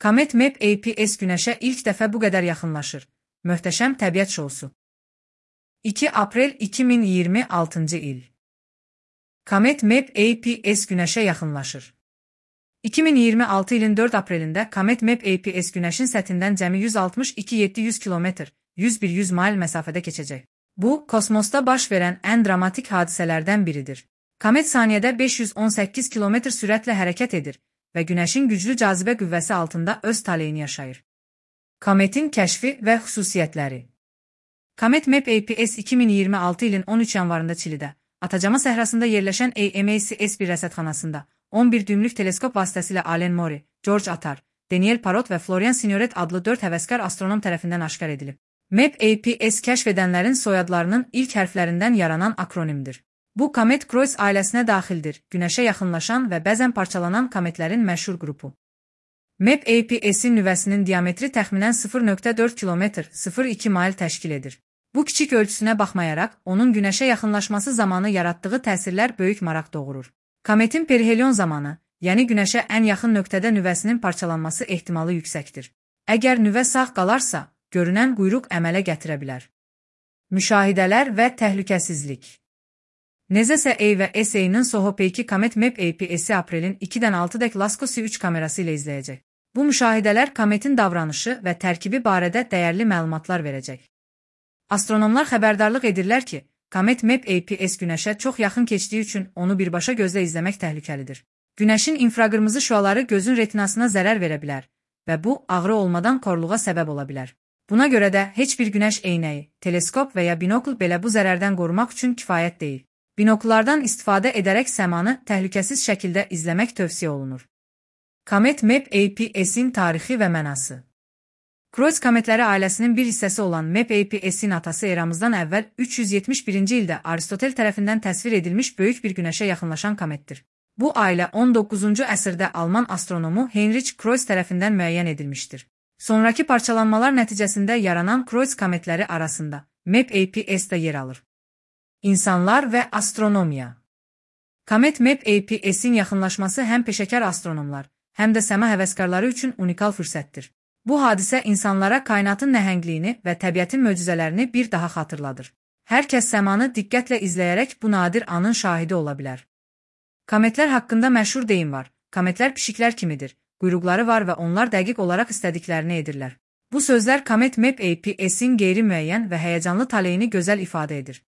Comet Map APS Günəşə ilk dəfə bu qədər yaxınlaşır. Möhtəşəm təbiət şousu. 2 aprel 2026 il. Comet Map APS Günəşə yaxınlaşır. 2026 ilin 4 aprelində Comet Map APS Günəşin səthindən cəmi 162-700 km, 101-100 mil məsafədə keçəcək. Bu, kosmosda baş verən ən dramatik hadisələrdən biridir. Komet saniyədə 518 km sürətlə hərəkət edir və Günəşin güclü cazibə qüvvəsi altında öz taleyini yaşayır. Kometin kəşfi və xüsusiyyətləri. Comet Map APS 2026 ilin 13 yanvarında Çilidə, Atacama səhrasında yerləşən AMACS-1 rəsədxanasında 11 düymlük teleskop vasitəsilə Alen Mori, George Attar, Daniel Parrot və Florian Signoret adlı 4 həvəskar astronom tərəfindən aşkar edilib. Map APS kəşf edənlərin soyadlarının ilk hərflərindən yaranan akronimdir. Bu, Comet Croix ailəsinə daxildir, Günəşə yaxınlaşan və bəzən parçalanan kometlərin məşhur qrupu. Map APS-in nüvəsinin diametri təxminən 0,4 km, 0,2 mil təşkil edir. Bu kiçik ölçüsünə baxmayaraq, onun Günəşə yaxınlaşması zamanı yaratdığı təsirlər böyük maraq doğurur. Kometin perihelion zamanı, yəni Günəşə ən yaxın nöqtədə nüvəsinin parçalanması ehtimalı yüksəkdir. Əgər nüvə sağ qalarsa, görünən quyruq əmələ gətirə bilər. Müşahidələr və təhlükəsizlik. Nezəsə A və SA-nin Soho-P2 Comet Map APS-i aprelin 2-dən 6-dək Lascaux 3 kamerası ilə izləyəcək. Bu müşahidələr kometin davranışı və tərkibi barədə dəyərli məlumatlar verəcək. Astronomlar xəbərdarlıq edirlər ki, Comet Map APS Günəşə çox yaxın keçdiyi üçün onu birbaşa gözlə izləmək təhlükəlidir. Günəşin infraqırmızı şüaları gözün retinasına zərər verə bilər və bu, ağrı olmadan korluğa səbəb ola bilər. Buna görə də heç bir günəş eynəyi, teleskop və ya binokl belə bu zərərdən qorumaq üçün kifayət deyil. Binokllardan istifadə edərək səmanı təhlükəsiz şəkildə izləmək tövsiyə olunur. Comet Map APS-in tarixi və mənası. Croix kometləri ailəsinin bir hissəsi olan Map APS-in atası eramızdan əvvəl 371-ci ildə Aristotel tərəfindən təsvir edilmiş böyük bir günəşə yaxınlaşan kometdir. Bu ailə 19-cu əsrdə Alman astronomu Heinrich Croix tərəfindən müəyyən edilmişdir. Sonrakı parçalanmalar nəticəsində yaranan Croix kometləri arasında Map APS də yer alır. İnsanlar və astronomiya. Comet Map APS-in yaxınlaşması həm peşəkar astronomlar, həm də səma həvəskarları üçün unikal fürsətdir. Bu hadisə insanlara kainatın nəhəngliyini və təbiətin möcüzələrini bir daha xatırladır. Hər kəs səmanı diqqətlə izləyərək bu nadir anın şahidi ola bilər. Kometlər haqqında məşhur deyim var. Kometlər pişiklər kimidir, quyruqları var və onlar dəqiq olaraq istədiklərini edirlər. Bu sözlər Comet Map APS-in qeyri-müəyyən və həyəcanlı taleyini gözəl ifadə edir.